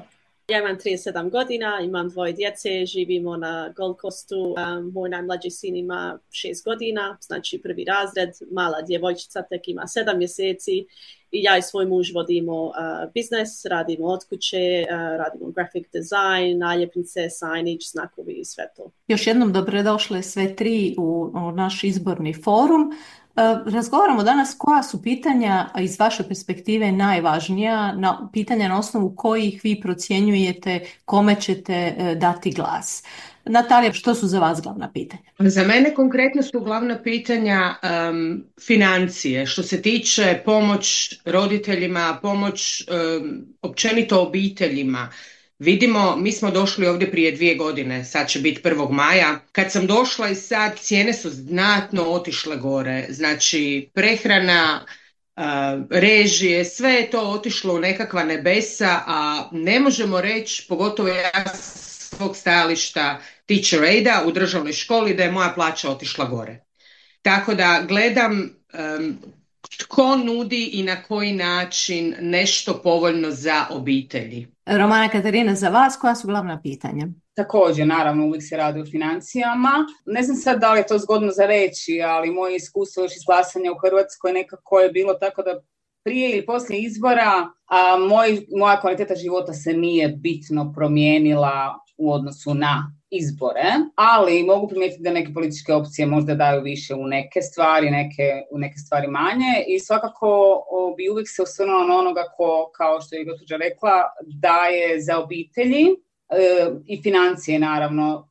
Ja imam trideset sedam godina, imam dvoje djece, živimo na Gold Coastu. Um, moj najmlađi sin ima šest godina, znači prvi razred, mala djevojčica tek ima sedam mjeseci i ja i svoj muž vodimo uh, biznes, radimo od kuće, uh, radimo graphic design, naljepnice, signage, znakovi i sve to. Još jednom dobrodošle sve tri u, u naš izborni forum. Razgovaramo danas koja su pitanja iz vaše perspektive najvažnija, na, pitanja na osnovu kojih vi procjenjujete kome ćete dati glas. Natalija, što su za vas glavna pitanja? Za mene konkretno su glavna pitanja um, financije, što se tiče pomoć roditeljima, pomoć um, općenito obiteljima. Vidimo, mi smo došli ovdje prije dvije godine, sad će biti prvog maja. Kad sam došla i sad cijene su znatno otišle gore. Znači prehrana, režije, sve je to otišlo u nekakva nebesa, a ne možemo reći, pogotovo ja svog stajališta teacher aida u državnoj školi, da je moja plaća otišla gore. Tako da gledam um, tko nudi i na koji način nešto povoljno za obitelji. Romana Katarina, za vas koja su glavna pitanja? Također, naravno, uvijek se radi o financijama. Ne znam sad da li je to zgodno za reći, ali moje iskustvo još iz glasanja u Hrvatskoj nekako je bilo tako da prije ili poslije izbora a moj, moja kvaliteta života se nije bitno promijenila u odnosu na izbore, ali mogu primijetiti da neke političke opcije možda daju više u neke stvari, neke, u neke stvari manje i svakako o, bi uvijek se osvrnula na onoga ko, kao što je gospođa rekla, daje za obitelji e, i financije naravno.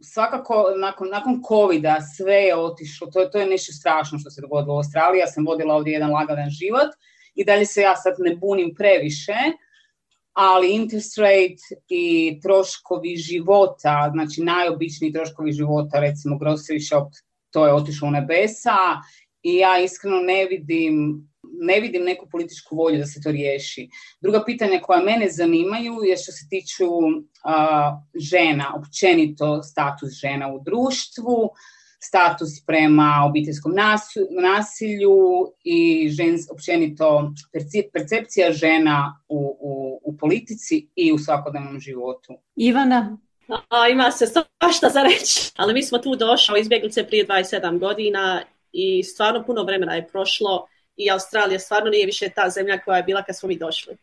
Svakako nakon, nakon covida sve je otišlo, to, to je nešto strašno što se dogodilo u Australiji, ja sam vodila ovdje jedan lagadan život i dalje se ja sad ne bunim previše, ali interest rate i troškovi života, znači najobičniji troškovi života, recimo grocery shop, to je otišlo u nebesa i ja iskreno ne vidim, ne vidim neku političku volju da se to riješi. Druga pitanja koja mene zanimaju je što se tiču uh, žena, općenito status žena u društvu, status prema obiteljskom nasilju i žens, općenito percepcija žena u, u, u politici i u svakodnevnom životu. Ivana? A, ima se svašta za reći, ali mi smo tu došli izbjeglice prije dvadeset sedam godina i stvarno puno vremena je prošlo i Australija stvarno nije više ta zemlja koja je bila kad smo mi došli.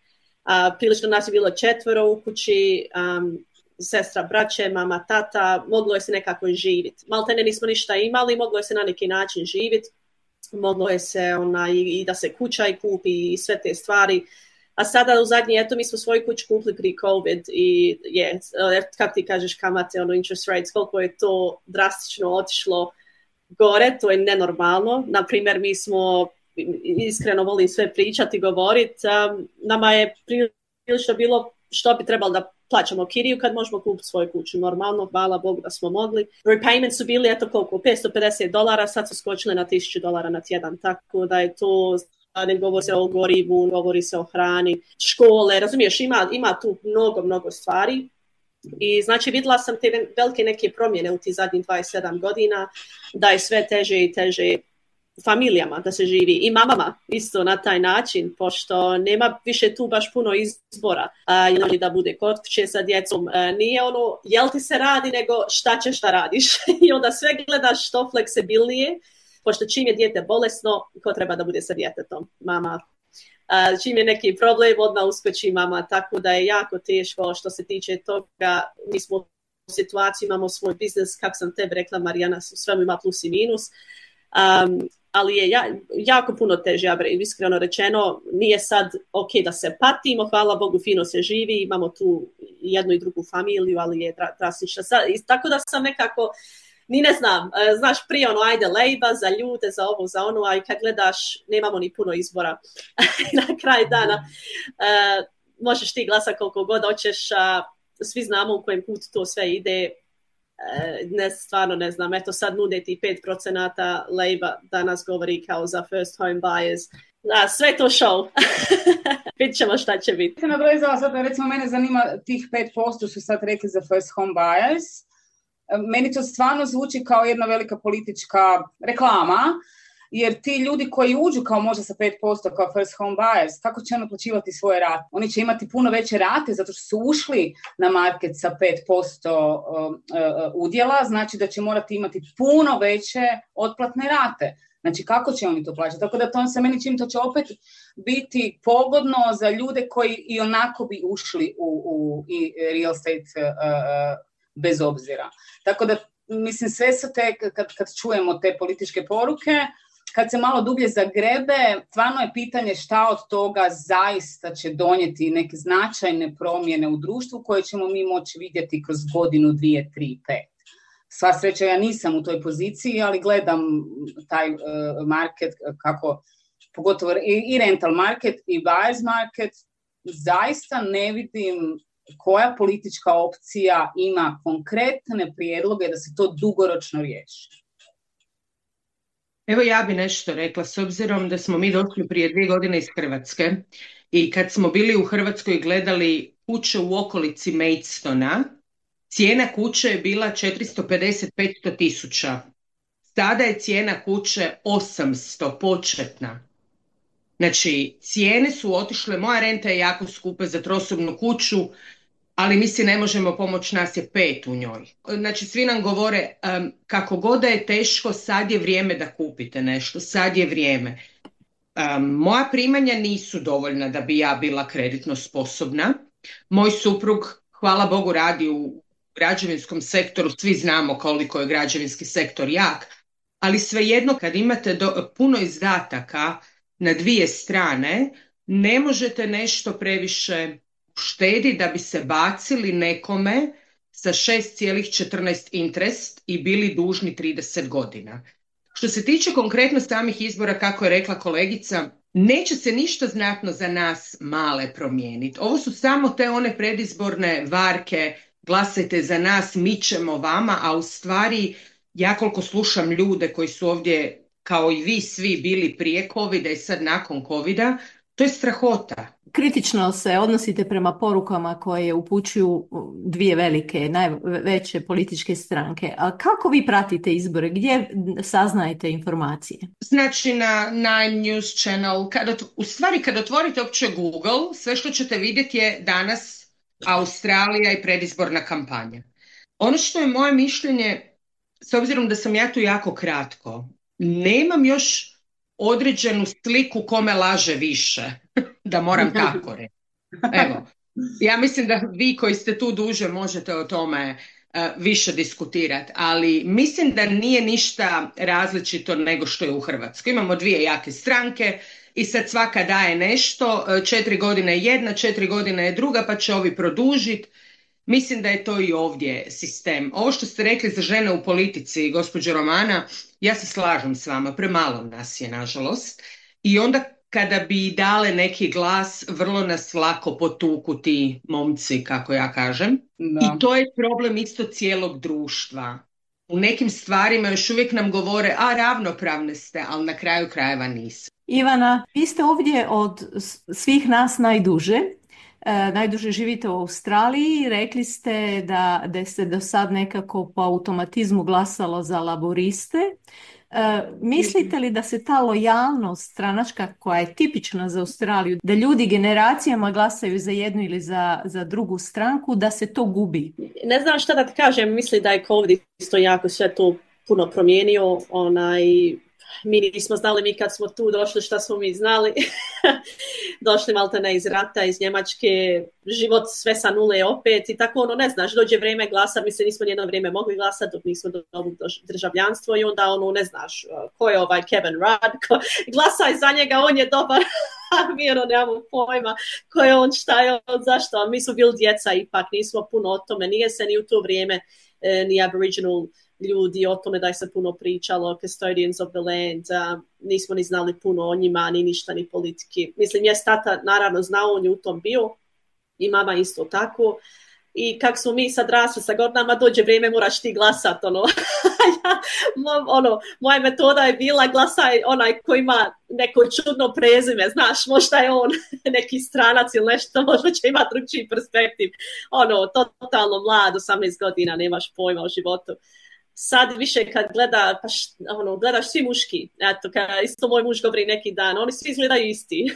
A, prilično nas je bilo četvero u kući, um, sestra, braće, mama, tata, moglo je se nekako živjeti. Maltene nismo ništa imali, moglo je se na neki način živjeti, moglo je se ona, i, i da se kuća i kupi i sve te stvari. A sada u zadnji, eto mi smo svoju kuću kupili prije COVID i je, kako ti kažeš kamate, ono interest rates, koliko je to drastično otišlo gore, to je nenormalno. Naprimjer, mi smo, iskreno volim sve pričati i govoriti, um, nama je prilično bilo što bi trebalo da plaćamo kiriju kad možemo kupiti svoju kuću. Normalno, hvala Bogu da smo mogli. Repayment su bili, eto koliko, petsto pedeset dolara, sad su skočili na tisuću dolara na tjedan, tako da je to, ne govori se o gorivu, govori se o hrani, škole, razumiješ, ima, ima tu mnogo, mnogo stvari. I znači vidjela sam te velike neke promjene u tih zadnjih dvadeset sedam godina, da je sve teže i teže familijama da se živi i mamama isto na taj način, pošto nema više tu baš puno izbora uh, da bude kod kuće sa djecom. Uh, nije ono jel ti se radi, nego šta ćeš da radiš i onda sve gledaš što fleksibilnije, pošto čim je dijete bolesno, ko treba da bude sa djetetom? Mama. Uh, čim je neki problem, odmah uskoči mama, tako da je jako teško što se tiče toga. Mi smo u situaciji, imamo svoj biznis, kako sam tebi rekla Marijana, sve ima plus i minus. Um, ali je ja, jako puno teže, ja iskreno rečeno, nije sad ok da se patimo, hvala Bogu fino se živi, imamo tu jednu i drugu familiju, ali je drastično. Tako da sam nekako, ni ne znam, znaš prije ono ajde lejba za ljude, za ovo, za ono, a kad gledaš nemamo ni puno izbora na kraj dana. Uh, možeš ti glasa koliko god hoćeš, a svi znamo u kojem putu to sve ide. Ne, stvarno ne znam, eto sad nude ti pet procenata Labour danas govori kao za first home buyers. Da, sve to show. Vidjet ćemo šta će biti. Se nabrojala sad, recimo mene zanima tih pet posto su sad rekli za first home buyers. Meni to stvarno zvuči kao jedna velika politička reklama, jer ti ljudi koji uđu kao možda sa pet posto kao first home buyers, kako će oni plaćivati svoje rate? Oni će imati puno veće rate zato što su ušli na market sa pet posto udjela, znači da će morati imati puno veće otplatne rate. Znači, kako će oni to plaćati? Tako da to se meni čini, to će opet biti pogodno za ljude koji i onako bi ušli u, u i real estate uh, bez obzira. Tako da, mislim, sve su te, kad, kad čujemo te političke poruke, kad se malo dublje zagrebe, stvarno je pitanje šta od toga zaista će donijeti neke značajne promjene u društvu koje ćemo mi moći vidjeti kroz godinu, dvije, tri, pet. Sva sreća, ja nisam u toj poziciji, ali gledam taj uh, market kako, pogotovo i, i rental market i buyers market, zaista ne vidim koja politička opcija ima konkretne prijedloge da se to dugoročno riješi. Evo ja bi nešto rekla, s obzirom da smo mi došli prije dvije godine iz Hrvatske i kad smo bili u Hrvatskoj gledali kuće u okolici Maidstona, cijena kuće je bila četiristo pedeset do petsto tisuća. Sada je cijena kuće osamsto početna. Znači, cijene su otišle, moja renta je jako skupa za trosobnu kuću, ali mi si ne možemo pomoći, nas je pet u njoj. Znači, svi nam govore um, kako god da je teško, sad je vrijeme da kupite nešto, sad je vrijeme. Um, moja primanja nisu dovoljna da bi ja bila kreditno sposobna. Moj suprug, hvala Bogu, radi u građevinskom sektoru, svi znamo koliko je građevinski sektor jak, ali svejedno kad imate do, puno izdataka na dvije strane, ne možete nešto previše štedi da bi se bacili nekome sa šest zarez četrnaest interest i bili dužni trideset godina. Što se tiče konkretno samih izbora, kako je rekla kolegica, neće se ništa znatno za nas male promijeniti. Ovo su samo te one predizborne varke, glasajte za nas, mi ćemo vama, a u stvari ja koliko slušam ljude koji su ovdje kao i vi svi bili prije covida i sad nakon covida, to je strahota. Kritično se odnosite prema porukama koje upućuju dvije velike, najveće političke stranke. A kako vi pratite izbore? Gdje saznajete informacije? Znači na Nine News Channel. Kad, u stvari kad otvorite uopće Google, sve što ćete vidjeti je danas Australija i predizborna kampanja. Ono što je moje mišljenje, s obzirom da sam ja tu jako kratko, nemam još određenu sliku kome laže više, da moram tako reći. Evo, ja mislim da vi koji ste tu duže možete o tome uh, više diskutirati, ali mislim da nije ništa različito nego što je u Hrvatskoj. Imamo dvije jake stranke i sad svaka daje nešto, četiri godine je jedna, četiri godine je druga, pa će ovi produžiti. Mislim da je to i ovdje sistem. Ovo što ste rekli za žene u politici, gospođo Romana, ja se slažem s vama, premalo nas je, nažalost. I onda kada bi dale neki glas, vrlo nas lako potuku ti momci, kako ja kažem. Da. I to je problem isto cijelog društva. U nekim stvarima još uvijek nam govore, a ravnopravne ste, ali na kraju krajeva nisu. Ivana, vi ste ovdje od svih nas najduže. E, najduže živite u Australiji, rekli ste da, da se do sad nekako po automatizmu glasalo za laboriste. E, mislite li da se ta lojalnost stranačka koja je tipična za Australiju, da ljudi generacijama glasaju za jednu ili za, za drugu stranku, da se to gubi? Ne znam šta da ti kažem, mislim da je COVID isto jako sve to puno promijenio, onaj... Mi nismo znali, mi kad smo tu došli, šta smo mi znali. Došli maltene iz rata, iz Njemačke, život sve sa nule opet i tako ono, ne znaš, dođe vrijeme glasa, mi se nismo nijedno vrijeme mogli glasati dok nismo dobili državljanstvo i onda ono, ne znaš, ko je ovaj Kevin Rudd, ko, glasaj za njega, on je dobar, a mi ono nemamo pojma ko je on, šta je on, zašto, a mi su bili djeca ipak, nismo puno o tome, nije se ni u to vrijeme eh, ni Aboriginal ljudi o tome da je se puno pričalo, custodians of the land, uh, nismo ni znali puno o njima, ni ništa, ni politiki. Mislim, je tata naravno znao, on je u tom bio i mama isto tako. I kak smo mi sad rasli sa godinama, dođe vrijeme, moraš ti glasat, ono. ja, ono, moja metoda je bila glasaj onaj koji ima neko čudno prezime, znaš, možda je on neki stranac ili nešto, možda će imati drugčiji perspektiv. Ono, totalno mlad, osamnaest godina, nemaš pojma o životu. sad više kad gleda, pa š, ono, gledaš svi muški, eto, kad isto moj muž govori neki dan, oni svi izgledaju isti.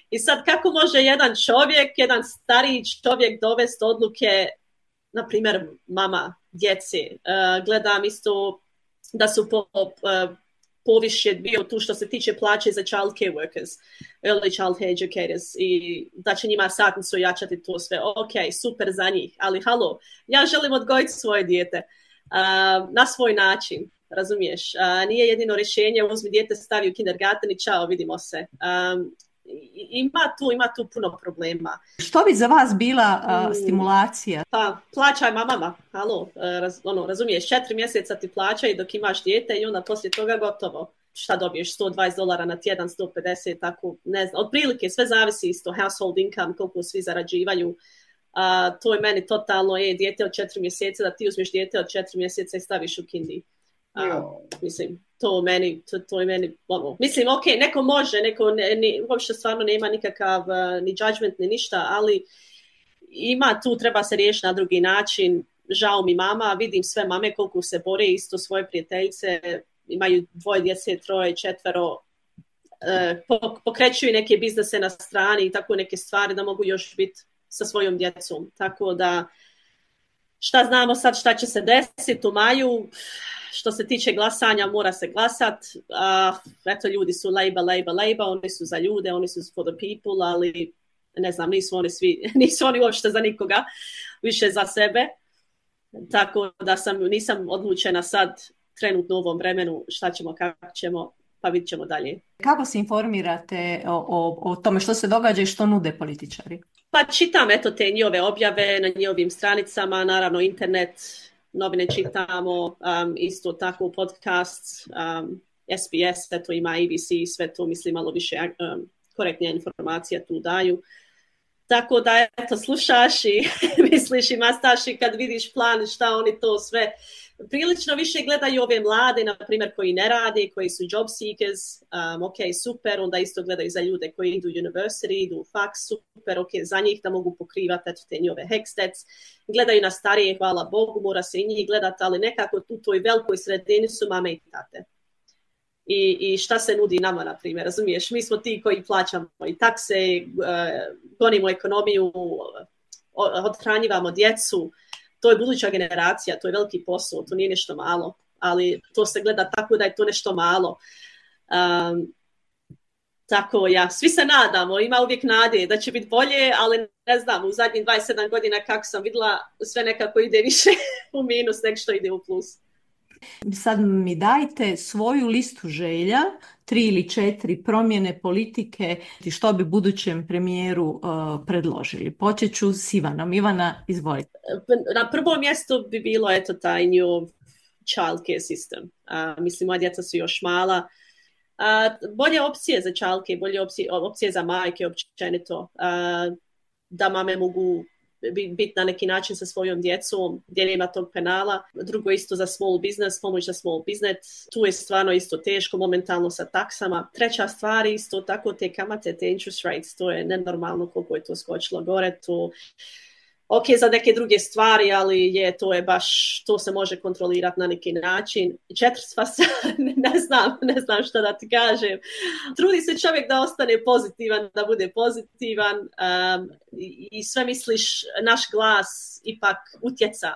I sad kako može jedan čovjek, jedan stariji čovjek dovesti odluke, na primjer mama, djece, uh, gledam isto da su po, uh, poviše bio tu što se tiče plaće za child care workers, early childhood educators i da će njima satnicu jačati to sve. Ok, super za njih, ali halo, ja želim odgojiti svoje dijete uh, na svoj način, razumiješ? Uh, nije jedino rješenje, uzmi dijete, stavi u kindergarten i čao, vidimo se. Um, ima tu, ima tu puno problema. Što bi za vas bila uh, stimulacija? Pa, plaćaj mamama, halo, uh, raz, ono, razumiješ, četiri mjeseca ti plaćaj dok imaš dijete i onda poslije toga gotovo. Šta dobiješ, sto dvadeset dolara na tjedan, sto pedeset, tako, ne znam, otprilike, sve zavisi isto, household income, koliko svi zarađivaju. Uh, to je meni totalno, je, dijete od četiri mjeseca, da ti uzmeš dijete od četiri mjeseca i staviš u kindi. Uh, mislim, to meni, to, to je meni, ono, mislim, ok, neko može, neko ne, ne, uopšte stvarno nema nikakav uh, ni judgment, ni ništa, ali ima tu, treba se riješiti na drugi način. Žao mi mama, vidim sve mame koliko se bore, isto svoje prijateljice, imaju dvoje djece, troje, četvero, uh, pokrećuju neke biznese na strani i tako neke stvari da mogu još biti sa svojom djecom. Tako da, šta znamo sad šta će se desiti u maju. Što se tiče glasanja, mora se glasat. Uh, eto, ljudi su Labour, Labour, Labour, oni su za ljude, oni su for the people, ali ne znam, nisu oni svi, nisu oni uopšte za nikoga, više za sebe. Tako da sam, nisam odlučena sad trenutno u ovom vremenu šta ćemo, kako ćemo, pa vidit ćemo dalje. Kako se informirate o, o, o tome što se događa i što nude političari? Pa čitam, eto, te njihove objave na njihovim stranicama, naravno internet, novine čitamo, um, isto tako podcast, um, S B S, eto ima A B C, sve to mislim malo više um, korektnija informacija tu daju. Tako da, eto, slušaš i misliš i mastaš i kad vidiš plan šta oni to sve. Prilično više gledaju ove mlade, na primjer, koji ne rade, koji su job seekers, um, ok, super, onda isto gledaju za ljude koji idu u university, idu u faks, super, ok, za njih da mogu pokrivati eto, te njove hextets. Gledaju na starije, hvala Bogu, mora se i njih gledati, ali nekako tu toj velikoj sredini su mame i tate. I, i šta se nudi nama, na primjer, razumiješ? Mi smo ti koji plaćamo i takse, uh, gonimo ekonomiju, odhranjivamo djecu. To je buduća generacija, to je veliki posao, to nije nešto malo, ali to se gleda tako da je to nešto malo. Um, tako, ja, svi se nadamo, ima uvijek nade da će biti bolje, ali ne znam, u zadnjih dvadeset sedam godina kako sam vidjela, sve nekako ide više u minus nego što ide u plus. Sad mi dajte svoju listu želja, tri ili četiri promjene politike i što bi budućem premijeru uh, predložili. Počet ću s Ivanom. Ivana, izvolite. Na prvom mjestu bi bilo eto taj new child care system. Uh, mislim, moja djeca su još mala. Uh, bolje opcije za child care, bolje opcije, opcije za majke općenito. Uh, da mame mogu biti na neki način sa svojom djecom, gdje nema tog penala. Drugo isto za small business, pomoć za small business. Tu je stvarno isto teško momentalno sa taksama. Treća stvar isto tako te kamate, te interest rates, to je nenormalno koliko je to skočilo gore. To, ok, za neke druge stvari, ali je, to je baš, to se može kontrolirati na neki način. Četvrta stvar, ne znam, ne znam šta da ti kažem. Trudi se čovjek da ostane pozitivan, da bude pozitivan um, i, i sve misliš, naš glas ipak utjeca.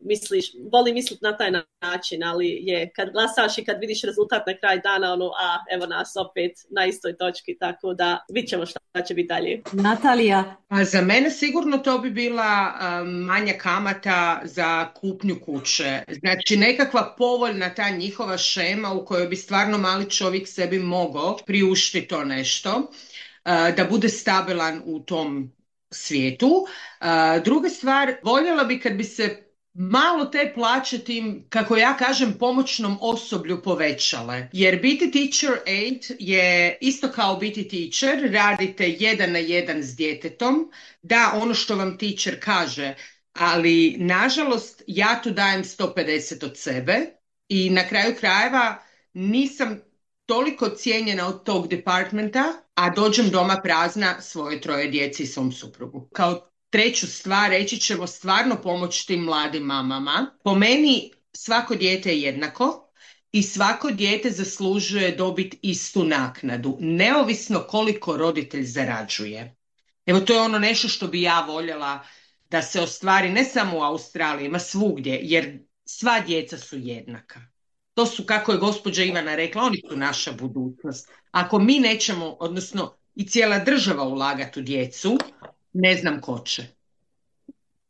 Misliš, voli misliti na taj način, ali je kad glasaš i kad vidiš rezultat na kraj dana, ono, a evo nas opet na istoj točki, tako da vidit ćemo šta će biti dalje. Natalija? A za mene sigurno to bi bila um, manja kamata za kupnju kuće. Znači nekakva povoljna ta njihova šema u kojoj bi stvarno mali čovjek sebi mogao priuštiti to nešto, uh, da bude stabilan u tom svijetu. Uh, druga stvar, voljela bi kad bi se malo te plaće tim, kako ja kažem, pomoćnom osoblju povećale. Jer biti teacher aid je isto kao biti teacher, radite jedan na jedan s djetetom, da ono što vam teacher kaže, ali nažalost ja tu dajem sto pedeset od sebe i na kraju krajeva nisam toliko cijenjena od tog departmenta, a dođem doma prazna svoje troje djeci i svom suprugu. Kao treću stvar, reći ćemo stvarno pomoći tim mladim mamama. Po meni svako dijete je jednako i svako dijete zaslužuje dobiti istu naknadu, neovisno koliko roditelj zarađuje. Evo, to je ono nešto što bi ja voljela da se ostvari ne samo u Australiji, ma svugdje, jer sva djeca su jednaka. To su, kako je gospođa Ivana rekla, oni su naša budućnost. Ako mi nećemo, odnosno i cijela država ulagati u djecu, ne znam ko će.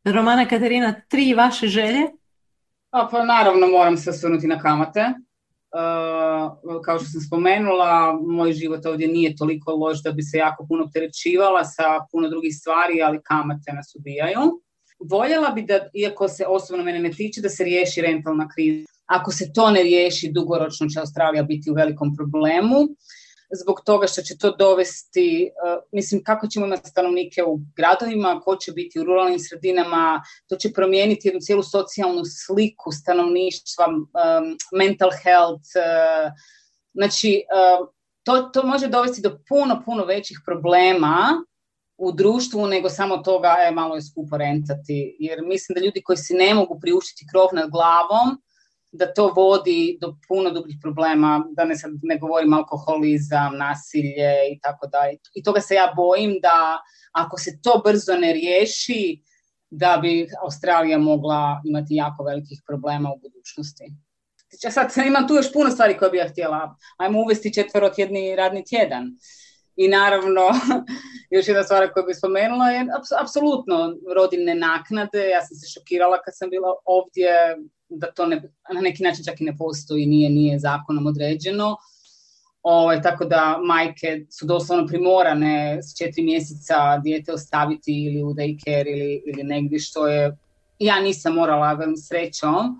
Romana Katarina, tri vaše želje? A, pa naravno moram se osvrnuti na kamate. Uh, kao što sam spomenula, moj život ovdje nije toliko loš da bi se jako puno opterećivala sa puno drugih stvari, ali kamate nas ubijaju. Voljela bi da, iako se osobno mene ne tiče, da se riješi rentalna kriza. Ako se to ne riješi, dugoročno će Australija biti u velikom problemu. Zbog toga što će to dovesti, uh, mislim, kako ćemo imati stanovnike u gradovima, ko će biti u ruralnim sredinama, to će promijeniti jednu cijelu socijalnu sliku stanovništva, um, mental health, uh, znači uh, to, to može dovesti do puno, puno većih problema u društvu nego samo toga, e, malo je skupo rentati, jer mislim da ljudi koji si ne mogu priuštiti krov nad glavom, da to vodi do puno drugih problema, da ne, sad ne govorim alkoholizam, nasilje i tako dalje. I toga se ja bojim da ako se to brzo ne riješi, da bi Australija mogla imati jako velikih problema u budućnosti. Sad imam tu još puno stvari koje bih ja htjela. Ajmo uvesti četverotjedni radni tjedan. I naravno, još jedna stvar koju bih spomenula je apsolutno rodiljne naknade. Ja sam se šokirala kad sam bila ovdje, da to ne, na neki način čak i ne postoji, nije, nije zakonom određeno. O, tako da majke su doslovno primorane s četiri mjeseca dijete ostaviti ili u daycare ili, ili negdje, što je, ja nisam morala, velim srećom,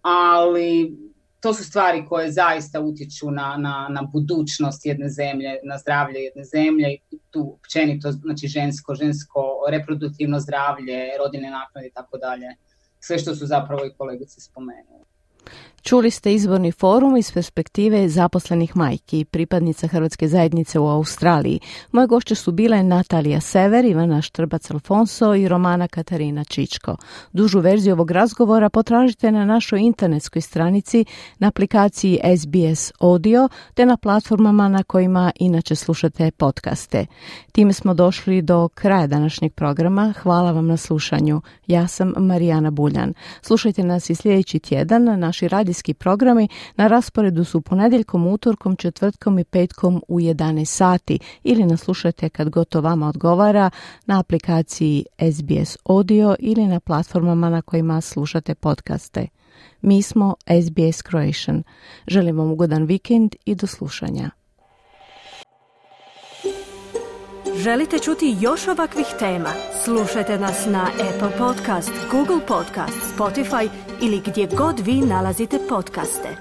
ali to su stvari koje zaista utječu na, na, na budućnost jedne zemlje, na zdravlje jedne zemlje i tu općenito, znači žensko, žensko reproduktivno zdravlje, rodiljne naknade i tako dalje. Sve što su zapravo i kolegice spomenuli. Čuli ste izborni forum iz perspektive zaposlenih majki, pripadnica Hrvatske zajednice u Australiji. Moje gošće su bile Natalija Sever, Ivana Štrbac-Alfonso i Romana Katarina Čičko. Dužu verziju ovog razgovora potražite na našoj internetskoj stranici, na aplikaciji S B S Audio, te na platformama na kojima inače slušate podcaste. Time smo došli do kraja današnjeg programa. Hvala vam na slušanju. Ja sam Marijana Buljan. Slušajte nas i sljedeći tjedan. Naši radijski programi na rasporedu su ponedjeljkom, utorkom, četvrtkom i petkom u jedanaest sati ili nas slušajte kad god to vama odgovara na aplikaciji S B S Audio ili na platformama na kojima slušate podcaste. Mi smo S B S Croatian. Želim vam ugodan vikend i do slušanja. Želite čuti još ovakvih tema? Slušajte nas na Apple Podcast, Google Podcast, Spotify ili gdje god vi nalazite podcaste.